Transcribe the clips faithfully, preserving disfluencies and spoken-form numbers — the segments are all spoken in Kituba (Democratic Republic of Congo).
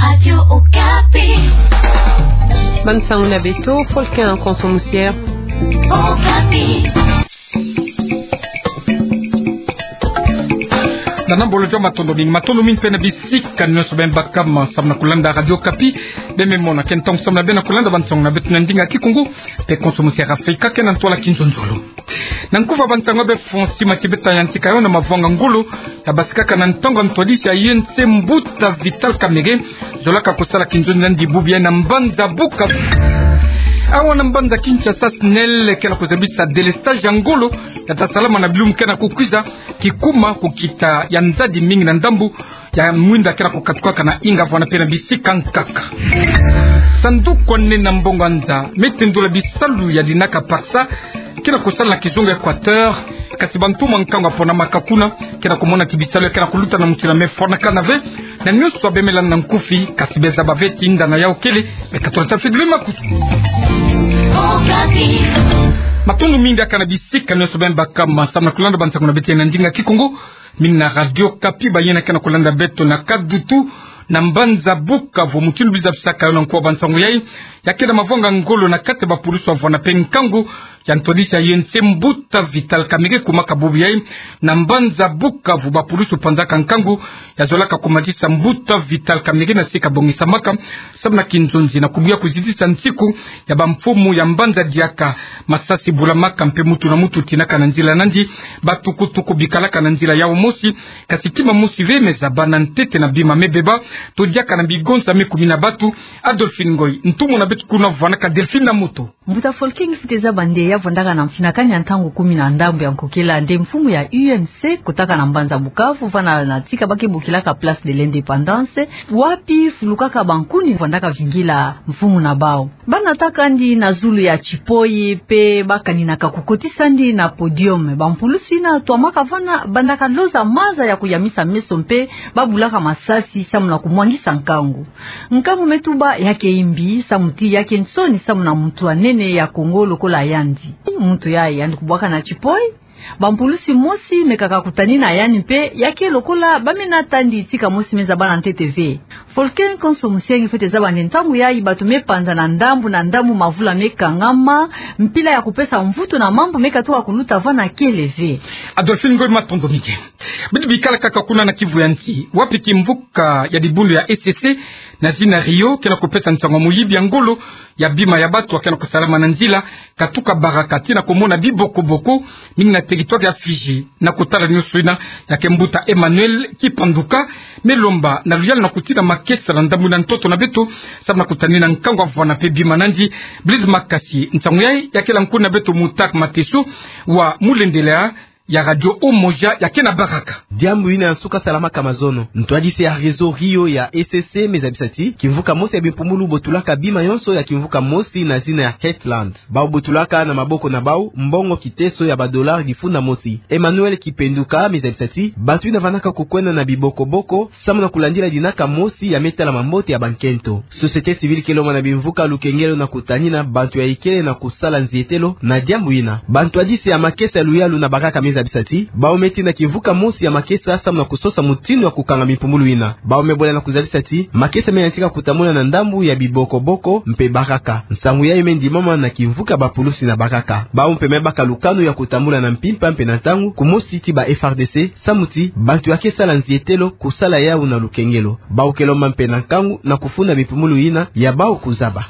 Radio Okapi. Bansango na beto, Folkin Konso Musier. Okapi. Nana mbolo joma, matondo mingi, matondo mingi mpe na bisika nyonso beno baka ma samu na kulanda Radio Okapi. Beno me mona ke ntangu samu na beno kulanda bansango na beto na ndinga Kikongo, mpe Konso Musier Afrika ke na ntwala kinzonzolo. Na nkufi ya bansango ya beto, Francis Mathieu Beton ayantika yo na mavwanga ngolo ya basikaka na ntangu ya ntwadisi ya U N C, Mbuta Vital Kamerhe, zolaka kusala kinzonzi na yandi bubu yayi na mbanza Bukavu. Awa na mbanza Kinshasa, SNEL ke na kuzabisa délestage ya ngolo ya ta salama na bilumbu ke na kukwiza, kikuma kukita ya nzadi mingi na ndambu ya mwinda ke na kukatukaka na Inga, Voie na mpe na bisika nkaka. Sanduku ya nene ya mbongo ya nza me tendula bisalu ya dinaka PACSA ke na kusala na kizunga Équateur, kasi bantumwa nkangu ya ponamaka kuna ke na kumona ti bisalu ke na kuluta na mutindu ya me fwanakana ve. Na nyonso beno me landa na nkufi, kasi beno zaba ve ti ndana yau kele, me katula ta fidili makutu. Matondo mingi diaka na bisika nyonso beno baka ma samu na kulanda bansango na beto na ndinga Kikongo. Mingi na Radio Okapi, bayina ke na kulanda beto na Kadutu, na mbanza Bukavu. Mutindu beno zabisaka yo na nko ya bansango yayi, ya ke na mavwanga ngolo na kati ya bapulusu ya vwanda mpe nkangu ya ntwadisi ya U N C, Mbuta Vital Kamerhe, kumaka bubu yayi na mbanza Bukavu. Bapulusu panzaka nkangu ya zolaka kumatisa Mbuta Vital Kamerhe na sika bongisamaka samu na kinzonzi na kubuya kuzitisa nsiku ya bamfumu ya mbanza diaka. Masasi bulamaka mpe mutu na mutu tinaka na nzila na yandi. Batukutuku bikalaka na nzila yau mosi, kasi kima mosi ve me zaba na ntete na bima me beba, to diaka na bigonza me kumina batu. Adolphine Ngoy, ntumwa na beto kuna, vwanaka Delphine na moto. Mbuta Folkin, fwete zaba nde ya vwandaka na mfinakani ya ntangu kumi na ndambu ya nkokela nde mfumu ya U N C kotaka na mbanza Bukavu, vana na tika ba ke bokilaka Place de l'Indépendance, wapi fulukaka bankuni vwandaka vingila mfumu na bau. Ba nataka yandi na zulu ya tipoyi, mpe ba kaninaka kukotisa yandi na podium. Bampulusi yina twamaka vana bandaka loza maza ya kuyamisa meso mpe ba bulaka masasi samu na kumwangisa nkangu. Nkangu me tuba ya ke imbi, samu ti ya ke nsoni samu na muntu ya nene ya Kongo lokola yandi. Muntu yayi yandi kubwaka na tipoyi. Bampulusi mosi mekaka kutanina yandi mpe ya ke lokola ba me nata yandi tika mosi me zaba na ntete ve. Folkin Konso Musier, fwete zaba nde ntangu yayi bato me panza na ndambu na ndambu, mavula me kangama, mpila ya kupesa mvutu na mambu me katuka kuluta vana kele ve. Adolphine Ngoy, matondo mingi. Beno bikala kaka kuna na Kivu ya Nsi, wapi kimvuka ya dibundu ya E C C na zina Rio ke na kupesa nsangu ya moyibi ya ngolo ya bima ya bato ya ke na kusalama na nzila katuka Baraka tii na kumona bibokoboko mingi na territoire ya Fidji. Na kotala nyonso yina, ya ke mbuta Emmanuel Kipanduka me lomba na luyalu na kutina makesa na ndambu na ntoto na beto, samu na kutanina nkangu ya vwanda mpe bima na yandi. Blaise Makasi, nsangu yayi ya kela nkuna beto Mutak Mateso wa mulendela ya Radio Umoja ya ke na Baraka. Diambu yina ya nsuka salamaka mazono. Ntwadisi ya réseau Rio ya E C C me zabisa ti kimvuka mosi ya bimpumbulu botulaka bima yonso ya kimvuka mosi na zina ya Heartland. Bau botulaka na maboko na bau mbongo kiteso ya ba dollars difunda mosi. Emmanuel Kipenduka me zabisa ti bato yina vandaka kukwenda na bibokoboko samu na kulandila dinaka mosi ya me tala mambote ya bankento. Société civile ke lomba na bimvuka lukengelo na kutanina bantu ya ikele na kusala nzietelo na diambu yina. Bantwadisi ya makesa ya luyalu na Baraka me zabisa ti bau me tinda kimvuka mosi ya makesa samu na kusosa mutindu ya kukanga bimpumbulu yina. Bau me bola na kuzabisa ti makesa me yantika kutambula na ndambu ya bibokoboko mpe Baraka. Nsangu yayi me ndimama na kimvuka bapulusi na Baraka. Bau mpe me baka lukanu ya kutambula na mpimpa mpe na ntangu kumosi ti ba F A R D C, samu ti bantu ya ke sala nzietelo kusala yau na lukengelo. Bau ke lomba mpe na nkangu na kufunda bimpumbulu yina ya bau kuzaba.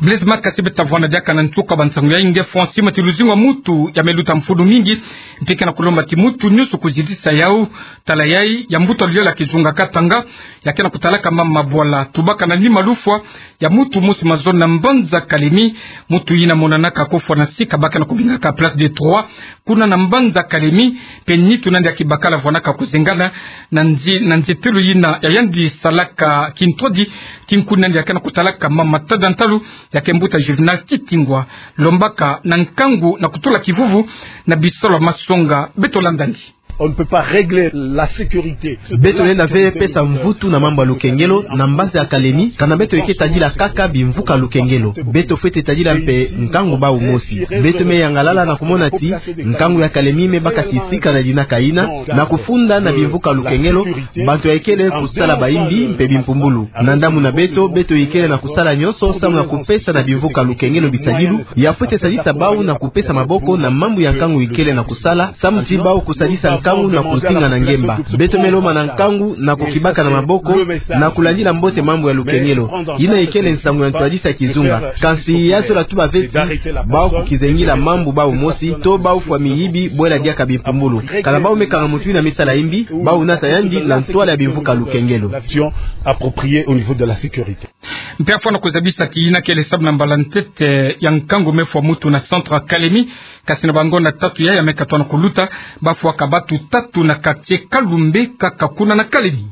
Blaise Makasi, beta vwanda diaka na nsuka bansangu yayi. Nge Francis, ma ti luzingu ya mutu ya me luta mfunu mingi, mpe ke na kulomba ti mutu nyonso kuzitisa yau. Tala yayi ya mbuta luyalu ya kizunga Katanga, ya ke na kutalaka mama Bwala, tubaka na nima lufwa ya mutu mosi mazono na mbanza Kalemi. Mutu yina monanaka kofwa na sika ba ke na kubingaka Place des Trois, kuna na mbanza Kalemi, mpe nitu na yandi ya kibakala vwanaka kuzengana na nzi-, na nzietelo yina ya yandi salaka kintwadi. Ti nkuna na yandi ya ke na kutalaka mama Tada Ntalu, ya ke mbuta Juvenal Kitingwa, lombaka na nkangu na kutula kivuvu na bisalu ya masonga. Beto landa yandi. On ne peut pas régler la sécurité. Beto lenda ve pesa mvutu na mambu ya lukengelo na mbanza ya Kalemi, kana beto eke tadila kaka bimvuka lukengelo. Beto fwete tadila mpe nkangu bau mosi. Beto me yangalala na kumona ti nkangu ya Kalemi me baka kisika na dinaka ina, na kufunda na bimvuka lukengelo, bantu ya ikele kusala baimbi mpe bimpumbulu. Na ndambu na beto, beto ikele na kusala nyonso samu na kupesa na bimvuka lukengelo bisadilu ya fwete sadisa bau na kupesa maboko na mambu ya nkangu ikele na kusala, samu ti bau kusadisa nkangu na kuzinga na ngemba. Beto me lomba na nkangu na kukibaka na maboko na kulandila mbote mambu ya lukengelo. Ina ikele nsangu ya ntwadisi ya kizunga. Kansi ya zola tuba ve ti bau kukizengila mambu bau mosi, to bau fwa miyibi bwela diaka bimpumbulu. Kana bau me kanga mutu ina me sala imbi, bau nata yandi na ntwala ya bimvuka lukengelo. L'action appropriée au niveau de la sécurité. Mpe afwana kuzabisa ti ina kele sabu na mbala ntete ya nkangu me fwa mutu na centre ya Kalemi, kasi na bangonda tatu ya ya me katuka na kuluta, bafwaka batu tatu na quartier Kalumbe kaka kuna na Kalemi.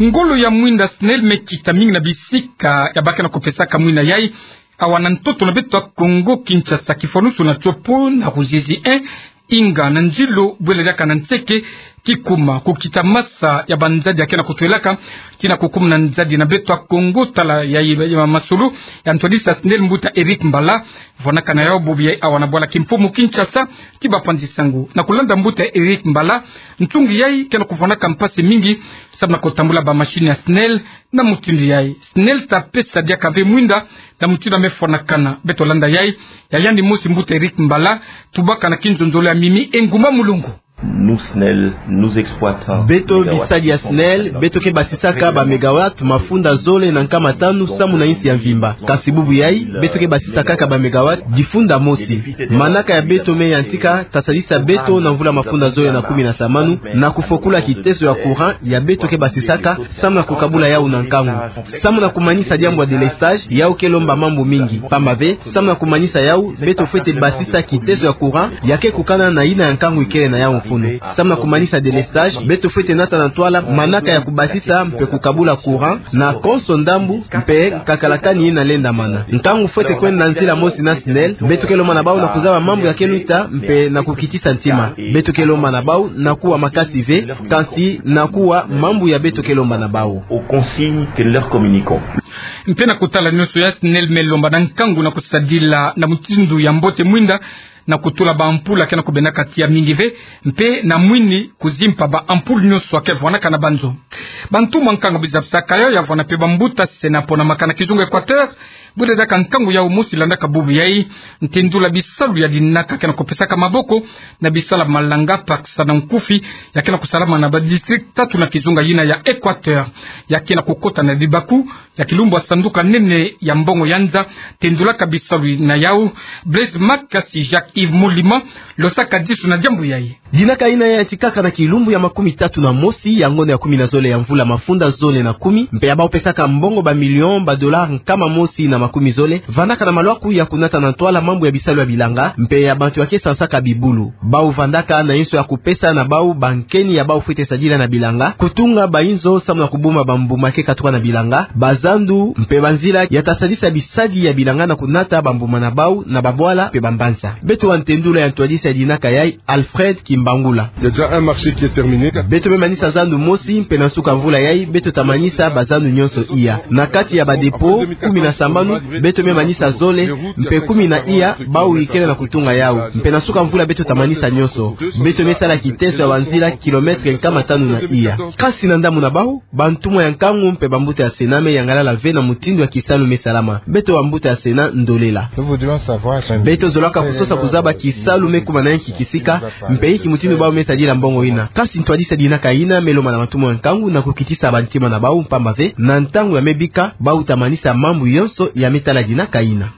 Ngolo ya mwinda SNEL me kita mingi na bisika ya ba ke na kupesaka mwina yai, awa na ntoto na beto ya Kongo Kinshasa, kifwanusu na Tshopo, na Ruzizi un, Inga na Ndjilo, bwela diaka na Nseke, Kikuma, kukita masa ya banzadi ya ke na kutwelaka, kina kukumuna nzadi na beto ya Kongo, tala ya, ya, ya masolo ya ntwadisi ya SNEL mbuta Eric Mbala, vwanakana yau bobo yai awa na bwala kimfumu Kinshasa, ki bapanzi sango. Na kulanda mbuta Eric Mbala, ntungi yai ke na kuvwanaka mpasi mingi, sabu na kutambula ba machine ya SNEL, na mutindu yai SNEL ta pesa diaka ve mwinda, na mutindu ya me fwanakana. Beto landa yai, ya yandi mosi mbuta Eric Mbala, tubaka na kinzonzolo ya Mimi Engumba Mulongo. Nous, SNEL, nous exploitons. Beto bisadi ya SNEL, beto ke basisaka ba mégawatt mafunda zole na nkama tanu samu na insi ya mvimba. Kasi bubu yai, beto ke basisa kaka ba mégawatt difunda mosi. Manaka ya beto me yantika, ta sadisa beto na mvula mafunda zole na kumi na samanu, na kufokula kiteso ya courant ya beto ke basisaka, samu na kukabula yau na nkangu. Samu na kumanisa diambu ya délestage, yau ke lomba mambu mingi. Pamba ve, samu na kumanisa yau, beto fwete basisa kiteso ya courant ya ke kukana na ina ya nkangu ikele na yau mfunu. Samu na kumanisa délestage, beto fwete nata na ntwala manaka ya kubasisa mpe kukabula courant na konso ndambu mpe nkakalakani ina lendamana. Ntangu fwete kwenda na nzila mosi na SNEL, beto ke lomba na bau na kuzaba mambu ya ke luta mpe na kukitisa ntima. Beto ke lomba na bau na kuwa makasi ve, kansi na kuwa mambu ya beto ke lomba na bau. Aux consignes que nous leur communiquons. Mpe na kutala nyonso yai, SNEL me lomba na nkangu na kusadila na mutindu ya mbote mwinda, na kutula ba ampoule ya ke na kubendaka tiya mingi ve, mpe na mwini kuzimpa ba ampoule nyonso ya ke vwanaka na banzo. Bantumwa nkangu bizabisaka yau, ya vwana mpe bambuta SENA mpo na makana kizunga Équateur, bwela diaka nkangu yau mosi landaka bubu yai, ntendula bisalu ya dinaka ya ke na kupesaka maboko na bisalu ya malanga, pakasa na nkufi, ya ke na kusalama na ba district tatu na kizunga yina ya Équateur, ya ke na kukota na libaku ya kilumbu ya sanduku ya nene ya mbongo ya nza, tendulaka bisalu na yau. Blaise Makasi, Jacques Yves Molima, losaka disu na diambu yai. Dinaka ina yantikaka na kilumbu ya makumi tatu na mosi ya ngonda ya kumi na zole ya mvula mafunda zole na kumi, mpe ya bau pesaka mbongo ba million ba dollars nkama mosi na makumi zole, vandaka na malwaku ya kunata na ntwala mambu ya bisalu ya bilanga, mpe ya bantu ya ke sansaka bibulu. Bau vandaka na inso ya kupesa na bau bankeni ya bau fwete sadila na bilanga, kutunga ba inzo samu na kubumba bambuma ya ke katuka na bilanga, bazandu, mpe banzila ya ta sadisa bisadi ya bilanga na kunata bambuma na bau na babwala mpe bambanza. Beto wa ntendula ya ntwadisi ya dinaka yai, Alfred Kimbangula. Il y a déjà un marché qui est terminé. Beto me manisa zandu mosi, mpe na nsuka mvula yai, beto ta manisa bazandu nyonso iya. Na kati ya ba dépôt kumi na sambanu, beto me manisa zole, mpe kumi na iya bau ikele na kutunga yau. Mpe na nsuka mvula beto ta manisa nyonso. Beto me sala kiteso ya banzila kilomètre nkama tanu na iya. Kasi na ndambu na bau, bantumwa ya nkangu mpe bambuta ya SENA me yangalala ve na mutindu ya kisalu me salama. Beto bambuta ya SENA, ndolela. Beto zolaka kusosa kuzaba kisalu me kuma na inki kisika, mpe inki mutindu bau me sadila mbongo ina. Kasi ntwadisi ya dinaka ina me lomba na bantumwa ya nkangu na kukitisa bantima na bau, pamba ve na ntangu ya me bika, bau ta manisa mambu yonso ya me tala dinaka ina.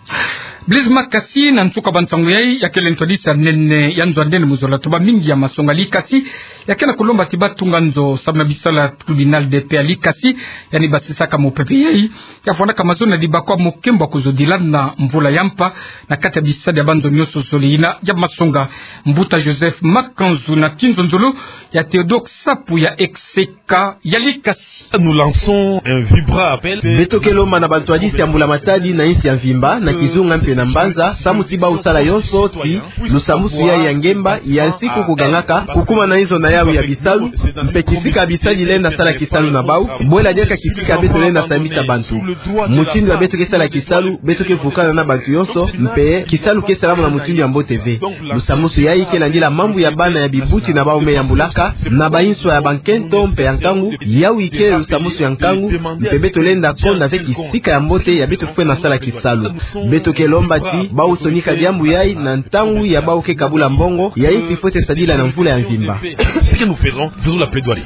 Blaise Makasi, na nsuka bansangu yai, ya kele ntwadisi ya nene ya nzo ya nene mu zola toba mingi ya masongali, kasi Ya ke na kolomba ti batunga nzo samu na bisalu ya tribunal de paix ya Likasi, yandi basisaka mopepe yai, ya vwandaka mazono ya dibakwa mo kembo ya kozodila na mvula ya mpa na kati ya bisalu ya banzo nyonso zole yina ya masonga. Mbuta Joseph Makanzu na kinzonzolo ya Theodore Sapu ya Execa ya Likasi. Nous lançons un vibrant appel. Beto ke lomba na bantu ya disi ya mbula matadi na insi ya mvimba, na kizunga mpe na mbanza, samu ti bawu sala yonso ti lusambusu yai ya ngemba ya nsiku kugangaka, kukuma na inzo na yawu ya bisalu, mpe kisika ya bisalu lenda sala kisalu na bawu, bwela diaka kisika beto lenda sambisa bantu. Mutindu ya beto ke sala kisalu, beto ke vukana na bantu yonso, mpe kisalu ke salama na mutindu ya mbote ve. Lusambusu yai ke landila mambu ya bana ya bibuti na bawu me yambulaka, na banswa ya bankento mpe ya nkangu, yawu ike lusambusu ya nkangu, mpe beto lenda konda ve kisika ya mbote ya beto fwena sala kisalu. Beto ke lomba ti bawu sonika diambu yai na ntangu ya bawu ke kabula mbongo, ya insi fwete sadila na mvula ya mvimba. Ce que nous faisons, faisons la plaidoirie.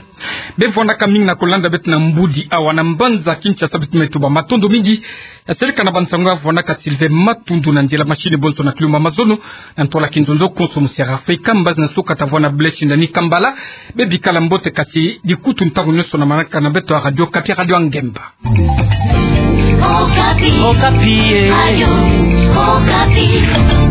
Bevwandaka mingi na kolanda beto na mbudi awa na mbanza Kinshasa, beto me tuba matondo mingi. Ya seleka na bansangu ya vwandaka Sylvain Matundu, na nzila machine bonso na kilumba mazono, na ntwala kinzonzo konso, musi ya Rafael Kambaz na suka ta vwanda Blaise Shindani Kambala. Bebikala mbote, kasi dikutu ntangu nyonso na manaka na beto ya Radio Okapi, Radio ya Ngemba. Okapi. Okapi, eh. Radio Okapi.